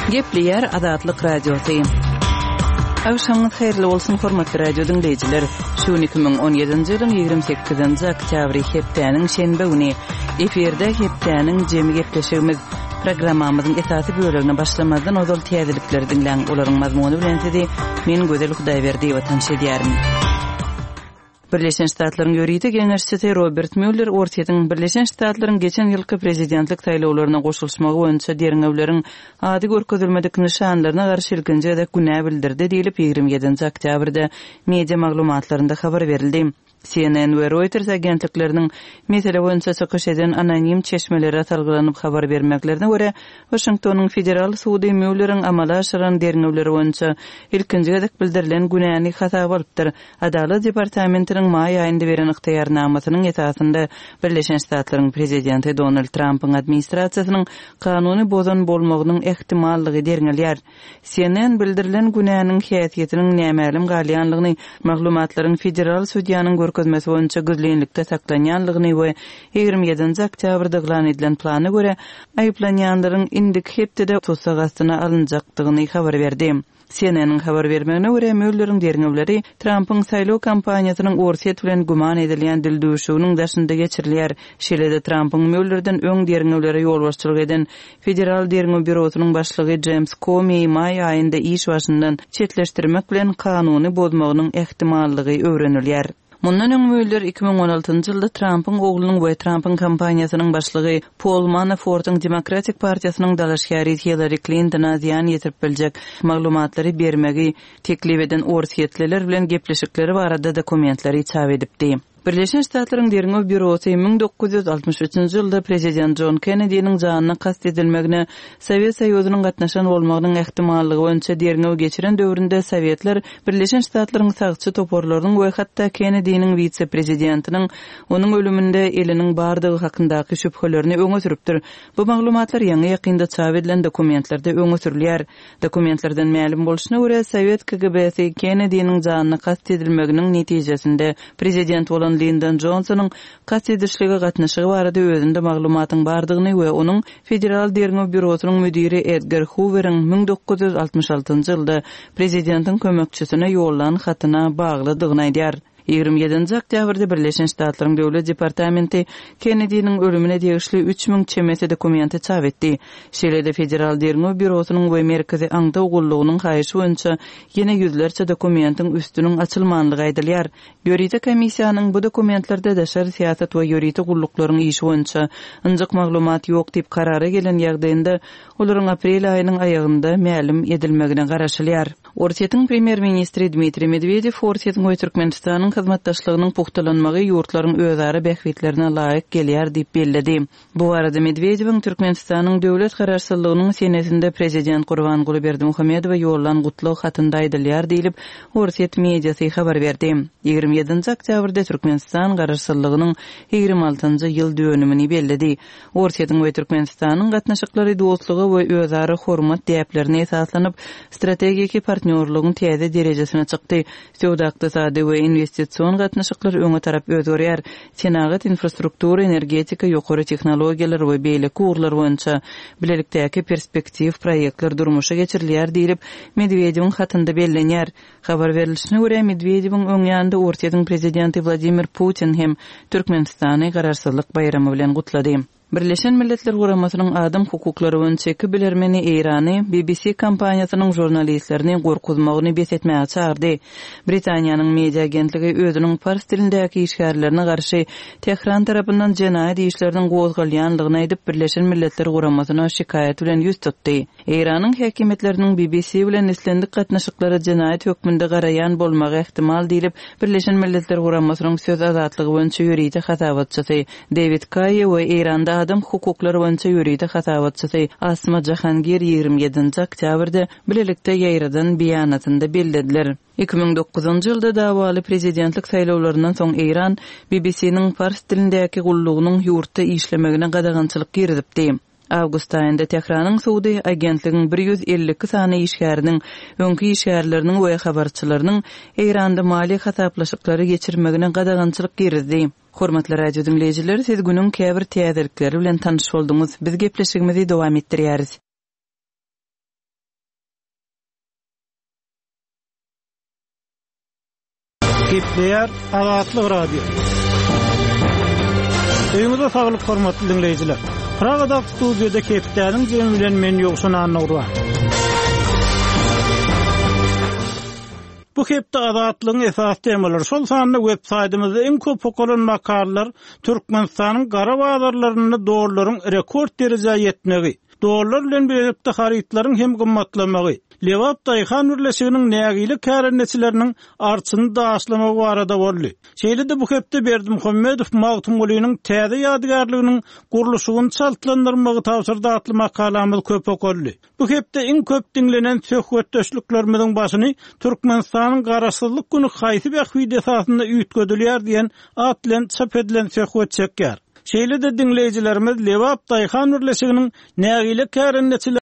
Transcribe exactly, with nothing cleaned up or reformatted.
Gepleýär Azatlyk Radiosy. Agşamyňyz haýyrly bolsun, hormatly radio diňleýjiler. Şu gün iki müň on ýedinji ýylyň ýigrimi sekizinji oktýabry, hepdäniň şenbe güni. Efirde hepdäniň jemi gepleşigimiz. Programmamyzyň esasy bölegine başlamazdan ozal täzelikleri diňläň. Olaryň mazmuny bilen sizi men Gözel Hudaýberdiýewa tanyş edýärin. Birleşen Ştatlaryň ýörite geňeşçisi Robert Müller Orsýetiň Birleşen Ştatlaryň geçen ýylky prezidentlik saýlawlaryna goşulyşmagy boýunça derňewleriň ady görkezilmedik nyşanlaryna garşy ilkinji gezek günä bildirdi diýlip, ýigrimi ýedinji oktýabrda media maglumatlarynda habar berildi. C N N we Reuters agentlikleriniň mesele boýunça çykyş eden anonim çeşmelere salgylanyp habar bermeklerine görä, Waşingtonyň federal sudy Mülleriň amala aşyran derňewleri boýunça ilkinji gezek bildirilen günäni hasaba alypdyr. Adalat departamentiniň maý aýynda beren ygtyýarnamasynyň esasynda Birleşen Ştatlaryň prezidenti Donald Trumpyň administrasiýasynyň kanuny bozan bolmagynyň ähtimallygy derňelýär. C N N bildirilen günäniň häsiýetiniň nämälim galýanlygyny, maglumatlaryň federal sudýanyň görkezmesi boýunça gizlinlikde saklanýanlygyny we ýigrimi ýedinji oktýabrda yglan edilen plana görä aýyplanýanlaryň indiki hepdede tussag astyna alynjakdygyny habar berdi. C N N-iň habar bermegine görä Mülleriň derňewleri Trumpyň saýlaw kampaniýasynyň Orsýet bilen güman edilýän dildüwşüginiň daşynda geçirilýär. Şeýle-de Trumpyň Müllerden öň derňewlere ýolbaşçylyk eden Federal Derňew Býurosynyň başlygy James Comey maý aýynda iş başyndan çetleşdirmek bilen kanuny bozmagynyň ähtimallygy öwrenilýär. Mundan öň Müller iki müň on altynjy ýylda Trumpyň oglunyň we Trumpyň kampaniýasynyň başlygy Paul Manafortyň Demokratik partiýasynyň dalaşgäri Hillary Clintona zyýan ýetirip biljek maglumatlary bermegi teklip eden orsýetliler bilen gepleşikleri barada dokumentleri çap edipdi. Birleşen Ştatlaryň Derňew Býurosy müň dokuz ýüz altmyş üçünji ýylda prezident John Kennedy'niň janyna kast edilmegine Sowet Soýuzynyň gatnaşan bolmagynyň ähtimallygy boýunça derňew geçiren döwründe Sowetler Birleşen Ştatlaryň sagçy toparlarynyň we hatda Kennedy'niň wise-prezidentiniň onuň ölüminde eliniň bardygy hakyndaky şübhelerini öňe sürüpdir. Bu maglumatlar ýaňy ýakynda çap edilen dokumentlerde öňe sürülýär. Dokumentlerden mälim bolşuna görä Sowet K G B-si Kennedy'niň janyna kast edilmeginiň netijesinde prezident bolan Lyndon Johnsonyň kast edişlige gatnaşygy barada özünde maglumatyň bardygyny we onuň Federal Derňew Býurosynyň müdiri Edgar Hooveriň müň dokuz ýüz altmyş altynjy ýylda prezidentiň kömekçisine ýollan hatyna baglydygyny aýdýar. Ýigrimi ýedinji oktýabrda Birleşen Ştatlaryň Döwlet Departamenti Kennedy'niň ölümine degişli üç müň çemesi dokumenti çap etdi. Şeýle-de Federal Derňew Býurosynyň we Merkezi Aňtaw Gullugynyň haýyşy boýunça ýene ýüzlerçe dokumentiň üstüniň açylmanlygy aýdylýar. Ýörite komissiýanyň bu dokumentlerde daşary syýasat we ýörite gulluklaryň işi boýunça ynjyk maglumat ýok diýip karara gelen ýagdaýynda olaryň aprel aýynyň aýagynda mälim edilmegine garaşylýar. Orsýetiň premýer-ministri Dmitriý Medwedew Orsýetiň we Türkmenistanyň hyzmatdaşlygynyň puhtalanmagy ýurtlaryň özara bähbitlerine laýyk gelýär diýip belledi. Bu arada Medwedewiň Türkmenistanyň döwlet garaşsyzlygynyň senesinde prezident Gurbanguly Berdimuhamedowa ýollan gutlag hatynda aýdylýar diýlip Orsýet mediasy habar berdi. Ýigrimi ýedinji oktýabrda Türkmenistan garaşsyzlygynyň ýigrimi altynjy ýyl dönümini belledi. Orsýetiň we Türkmenistanyň gatnaşyklary dostluga we özara hormat däplerine esaslanyp strategik partnýorlygyň täze derejesine çykdy. Söwda ykdysady we investision gatnaşyklar öňe tarap özgerýär. Senagat, infrastruktura, energetika, ýokary tehnologiýalar we beýleki ugurlar boýunça bilelikdäki perspektiw proýektler durmuşa geçirilýär diýlip Medwedewiň hatynda bellenýär. Habar berilişine görä Medwedewiň öň ýanynda Orsýetiň prezidenti Wladimir Putin hem Türkmenistany garaşsyzlyk baýramy bilen gutlady. Birleşen Milletler Guramasynyň adam hukuklary boýunça iki bilermeni Eýrany B B C kompaniýasynyň žurnalistlerini gorkuzmagyny bes etmäge çagyrdy. Britaniýanyň media agentligi özüniň pars dilindäki işgärlerine garşy Tehran tarapyndan jenaýat işleriniň gozgalýanlygyny aýdyp Birleşen Milletler Guramasyna şikaýat bilen ýüz tutdy. Eýranyň häkimiýetleriniň B B C bilen islendik gatnaşyklara jenaýat hökmünde garaýan bolmagy ähtimal diýlip Birleşen Milletler Guramasynyň söz azatlygy boýunça ýörite hasabatçysy David Kaye we Eýranda adam hukuklary boýunça ýörite hasabatçysy Asma Jahangir ýigrimi ýedinji oktýabrda bilelikde ýaýradan beýanatynda bellediler. Iki müň dokuzynjy ýylda dawaly prezidentlik saýlawlaryndan soň Eýran B B C-niň pars dilindäki gullugynyň ýurtda işlemegine gadagançylyk girizipdi. Awgust aýynda Tehranyň sudy agentligiň bir ýüz elli iki sany işgäriniň, öňki işgärleriniň we habarçylarynyň Eýranda maliýe hasaplaşyklary geçirmegine gadagançylyk girizdi. Hormatly radio dinleýjiler, siz günüň käbir täzelikleri bilen tanyş bolduňyz. Biz gepleşigimizi dowam etdirýäris. Gepleýär Azatlyk Radiosy. Öýüňize saglyk hormatly diňleýjiler. Pragadaky studiýada hepdäniň jemi bilen men Ýowşan Annagurban. Bu hepde Azatlygyň esasy temalary, şol sanda web saýtymyzda iň köp okalan makalalar Türkmenistanyň gara bazarlarynda dollaryň rekord derejä ýetmegi, dollar bilen birlikde harytlaryň hem gymmatlamagy, Lebap daýhan birleşiginiň nägile kärendeçileriniň arçyny daşlamagy barada boldy. Şeýle-de bu hepde Berdimuhamedow Magtymgulynyň täze ýadygärliginiň gurluşygyny çaltlandyrmagy tabşyrdy atly makalamyz köp okaldy. Bu hepde iň köp diňlenen söhbetdeşliklerimiziň başyny Türkmenistanyň Garaşsyzlyk güni haýsy bähbit esasynda üýtgedilýär diýen at bilen çap edilen söhbet çekýär. Şeýle-de diňleýjilerimiz Lebap daýhan birleşiginiň nägile kärendeçileriniň